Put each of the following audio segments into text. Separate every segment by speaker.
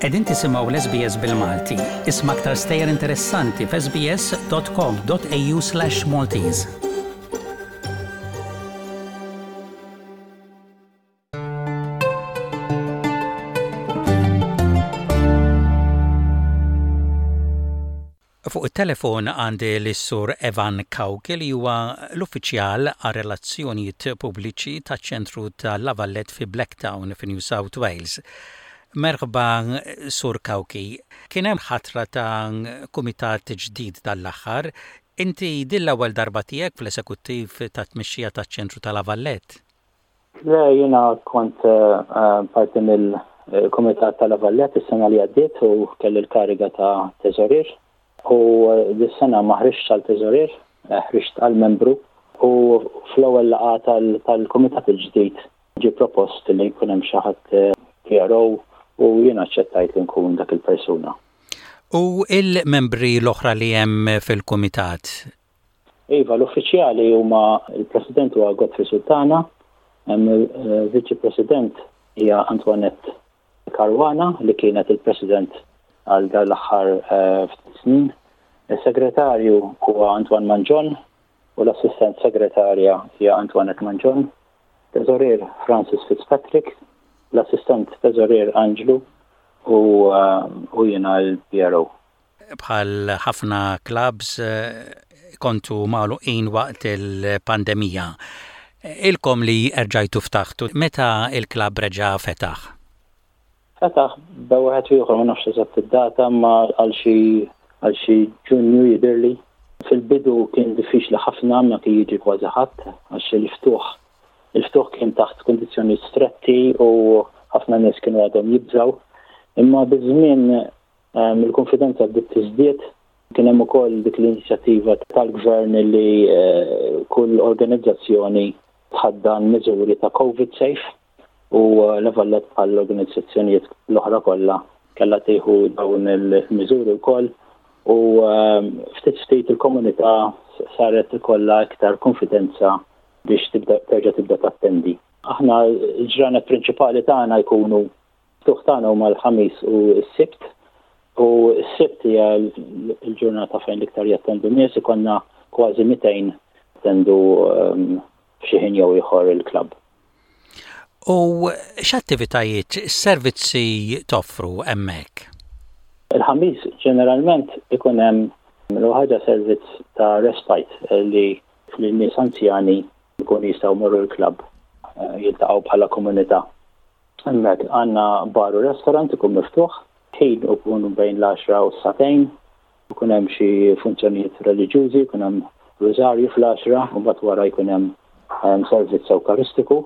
Speaker 1: Qegħdin tisimgħu l-SBS bil-Malti. Isma' aktar stejjer interessanti f'sbs.com.au/Maltese. Fuq it-telefon għandi lis-Sur Evan Cauchi li huwa l-uffiċjal għar-relazzjonijiet pubbliċi taċ-ċentru ta' La Valette fi Blacktown fi New South Wales. Merħba Sur Cauchi. Kien hemm ħatra ta' kumitat ġdid dan l-aħħar. Inti din l-ewwel darba tiegħek fl-esekuttiv tat-tmexxija taċ-ċentru ta' La Valette?
Speaker 2: Le, jiena kont parti mill-Kumitat ta' La Vallette is-sena li għaddiet u kelli l-kariga ta' teżorier. U dis-sena ma ħriġtx għal teżorier, ħriġt għal membru u fl-ewwel laqgħa tal-kumitat il-ġdid ġie propost li jkun hemm xi ħadd PRO u jiena aċċettajt li nkun dak il-persuna.
Speaker 1: U l-membri l-oħra li hemm fil-kumitat,
Speaker 2: Iva, l-uffiċjali huma l-President huwa Godfrey Sultana, hemm il-Viċi President hija Antoinette Caruana li kienet il-President għal dan l-aħħar ftit snin. Is-Segretarju huwa Antoine Mangion u l-Assistent Segretarja hija Antoinette Mangion. Teżorier Francis Fitzpatrick, l-Assistent Teżorier Anġlu u jiena l-PRO.
Speaker 1: Bħal ħafna clubs kontu magħluqin waqt il-pandemija. Ilkom li erġajtu ftaħtu, meta l-klabb reġa' fetaħ?
Speaker 2: Fetaħ bejn wieħed u ieħor, ma nafx eżatt id-data, imma għal xi għal xi Ġunju jidhirli. Fil-bidu kien diffiċli ħafna, ma kien jiġi kważi ħadd għax il-ftuħ il-ftuħ kien taħt kundizzjonijiet stretti u ħafna nies kienu għadhom jibżgħu. Imma biż-żmien Il-kunfidenza bdiet tiżdied. Kien hemm ukoll dik l-inizjattiva tal-Gvern li kull organizzazzjoni tħaddan miżuri ta' Covid safe u La Valette bħal organizzazzjonijiet l-oħra kollha kellha tieħu dawn il-miżuri wkoll u ftit ftit il-komunità saret ikollha iktar kunfidenza biex tibda terġa' tibda tattendi. Aħna l-ġranet prinċipali tagħna jkunu Ftuħ tagħna huma l-Ħamis u s-Sibt u s-Sibt hija l-ġurnata fejn l-iktar jattendu nies, ikollna kważi 200 jattendu f'xi ħin jew ieħor il-klabb.
Speaker 1: U x'attivitajiet, x'servizzi toffru hemmhekk?
Speaker 2: Il-Ħamis ġeneralment ikun hemm l-ewwel ħaġa servizz ta' respite li lin-nies anzjani jkunu jistgħu jmorru l-klabb jiltaqgħu bħala komunità. Hemmhekk għandna bar u restaurant ikun miftuħ, ħin ikunu bejn l-għaxra u s-sagħtejn, ikun hemm xi funzjonijiet reliġjużi, ikun hemm rużarju fl-għaxra u mbagħad wara jkun hemm servizz Ewkaristiku,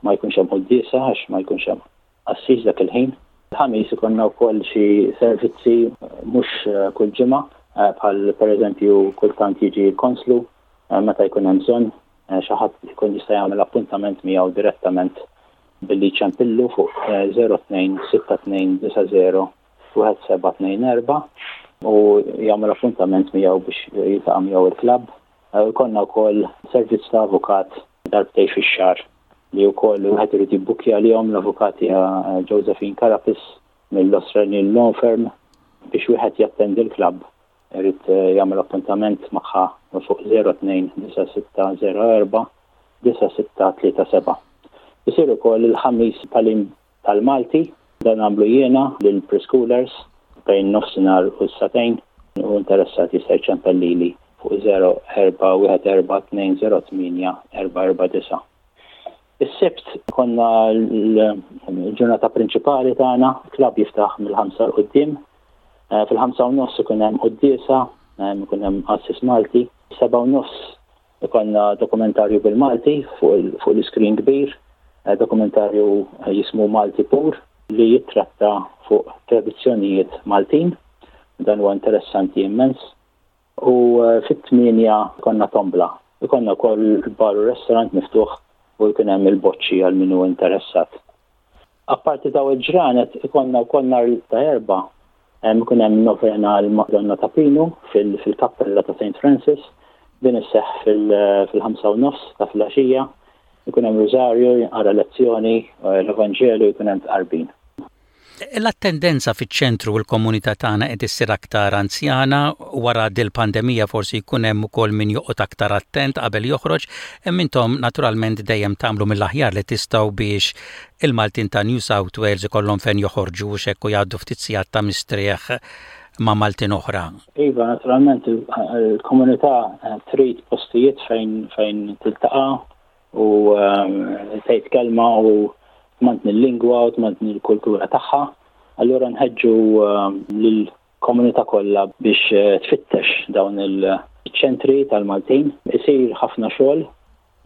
Speaker 2: ma jkunx hemm quddiesa għax ma jkunx hemm qassis dak il-ħin. Il-Ħamis ikollna wkoll xi servizzi mhux kull ġimgħa bħal pereżempju kultant jiġi l-konslu meta jkun hemm bżonn xi ħadd ikun jista' jagħmel appuntament miegħu direttament billi jċempillu fuq 02 6290 1724 u jagħmel appuntament miegħu biex jiltaqa' miegħu il-klabb. Ikollna wkoll servizz ta' avukat darbtejn fix-xahar li wkoll wieħed irid jibbukkja għalihom l-avukat hija Josephine Carapis mill-Australian Law Firm biex wieħed jattendi l-klabb irid jagħmel appuntament magħha fuq 02 9604 9637. Isir ukoll il-Ħamis tagħlim tal-Malti, dan nagħmlu jiena lill-preschoolers bejn nofsinhar u s-sagħtejn u interessat jista' jċempel lili fuq 0414 208 449. Is-Sibt konna l-ġurnata prinċipali tagħna, klabb jiftaħ mill-ħamsa 'l quddiem. Fil-ħamsa u nofs ikun hemm quddiesa, ikun hemm qassis Malti. 7:30 ikollna dokumentarju bil-Malti fuq l-iskrin kbir, dokumentarju jismu Malti Pur li jittratta fuq tradizzjonijiet Maltin. Dan huwa interessanti immens. U fit-tmienja jkollna tombla. Ikollna wkoll bar u restaurant miftuħ u jkun hemm il-boċċi għal min hu interessat. Apparti dawn il-ġranet ikollna wkoll nhar ta' Erbgħa ikun hemm novena għall-Madonna ta' Pinu fil-kappella ta' Saint Francis. Din isseħħ fil-ħamsa u nofs ta' filgħaxija. Ikun hemm rużarju, jinqara lezzjoni, l-Evanġelju, jkun hemm tqarbin.
Speaker 1: L-attendenza fiċ-ċentru u l-komunità tagħna qed issir aktar anzjana, wara dil-pandemija forsi jkun hemm ukoll min joqgħod aktar attent qabel joħroġ, imma intom naturalment dejjem tagħmlu mill-aħjar li tistgħu biex il-Maltin ta' New South Wales ikollhom fejn joħorġu u x'hekk u jgħaddu ftit sigħat ta' mistrieħ ma' Maltin oħra.
Speaker 2: Iva, naturalment il-komunità trid postijiet fejn fejn tiltaqa' u tgħid kelma u tmantni l-lingwa u tmantni l-kultura tagħha. Allura nħeġġu lill-komunità kollha biex tfittex dawn il-ċentri tal-Maltin. Isir ħafna xogħol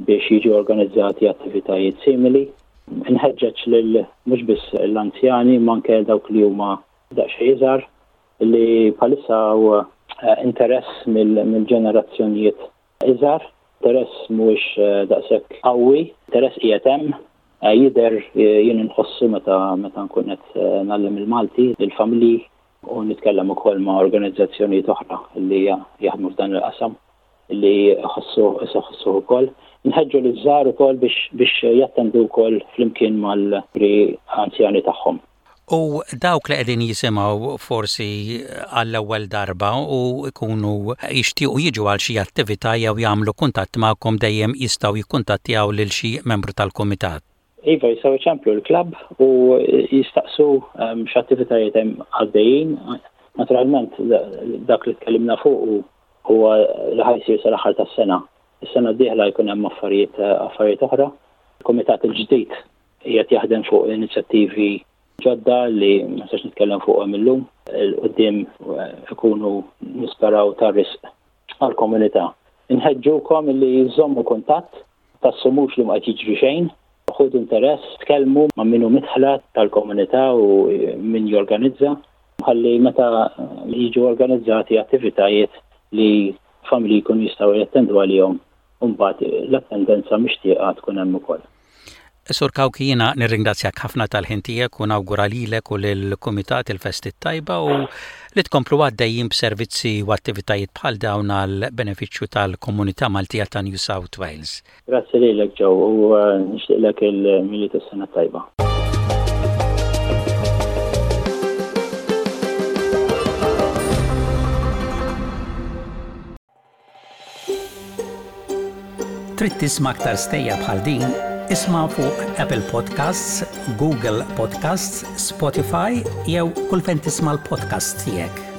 Speaker 2: biex jiġu organizzati attivitajiet simili. Inħeġġeġ lil mhux biss l-anzjani imma anke dawk li huma daqsxejn iżgħar li bħalissa hawn interess mill-ġenerazzjonijiet iżgħar. Interess mhuwiex daqshekk qawwi, interess qiegħed hemm, jidher jien inħossu meta meta nkun qed ngħallem il-Malti lill-familji u nitkellem ukoll ma' organizzazzjonijiet oħra li jaħdmu f'dan il-qasam li jħossu iħossuh ukoll. Nħeġġu liż-żgħar ukoll biex biex jattendu wkoll flimkien mal-pri anzjani tagħhom.
Speaker 1: U dawk li qegħdin jisimgħu forsi għall-ewwel darba u jkunu jixtiequ jiġu għal xi attività jew jagħmlu kuntatt magħkom dejjem jistgħu jikkuntattjaw lil xi membru tal-kumitat.
Speaker 2: Iva, jistgħu jċemplu l-klabb u jistaqsu x'attivitajiet hemm għaddejjin. Naturalment dak li tkellimna fuqu huwa li ħa jsir sal-aħħar tas-sena. Is-sena d-dieħla jkun hemm affarijiet affarijiet oħra. Il-kumitat il-ġdid Qiegħed jaħdem fuq inizjattivi ġodda li ma nistax nitkellem fuqhom illum. 'Il quddiem ikunu nisperaw ta' risq għall-komunità. Inħeġġukom li żżommu kuntatt, tassumux li ma qed jiġri xejn, ħudu interess, tkellmu ma' min hu midħla tal-komunità u min jorganizza ħalli meta jiġu organizzati attivitajiet li familji jkunu jistgħu jattendu għalihom u mbagħad l-attendenza mixtieqa tkun hemm ukoll.
Speaker 1: Sur Cauchi jiena nirringrazzjak ħafna tal-ħin tiegħek u nawgura lilek u lill-kumitat il-festi t-tajba u li tkomplu għaddejjin b'servizzi u attivitajiet bħal dawn għall-benefiċċju tal-komunità Maltija ta' New South Wales.
Speaker 2: Grazzi lilek Joe u nixtieqlek il-Milied u s-sena t-tajba.
Speaker 1: Trid tisma' aktar stejjer bħal din? Isma' fuq Apple Podcasts, Google Podcasts, Spotify jew kull fejn tisma' l-podcasts tiegħek.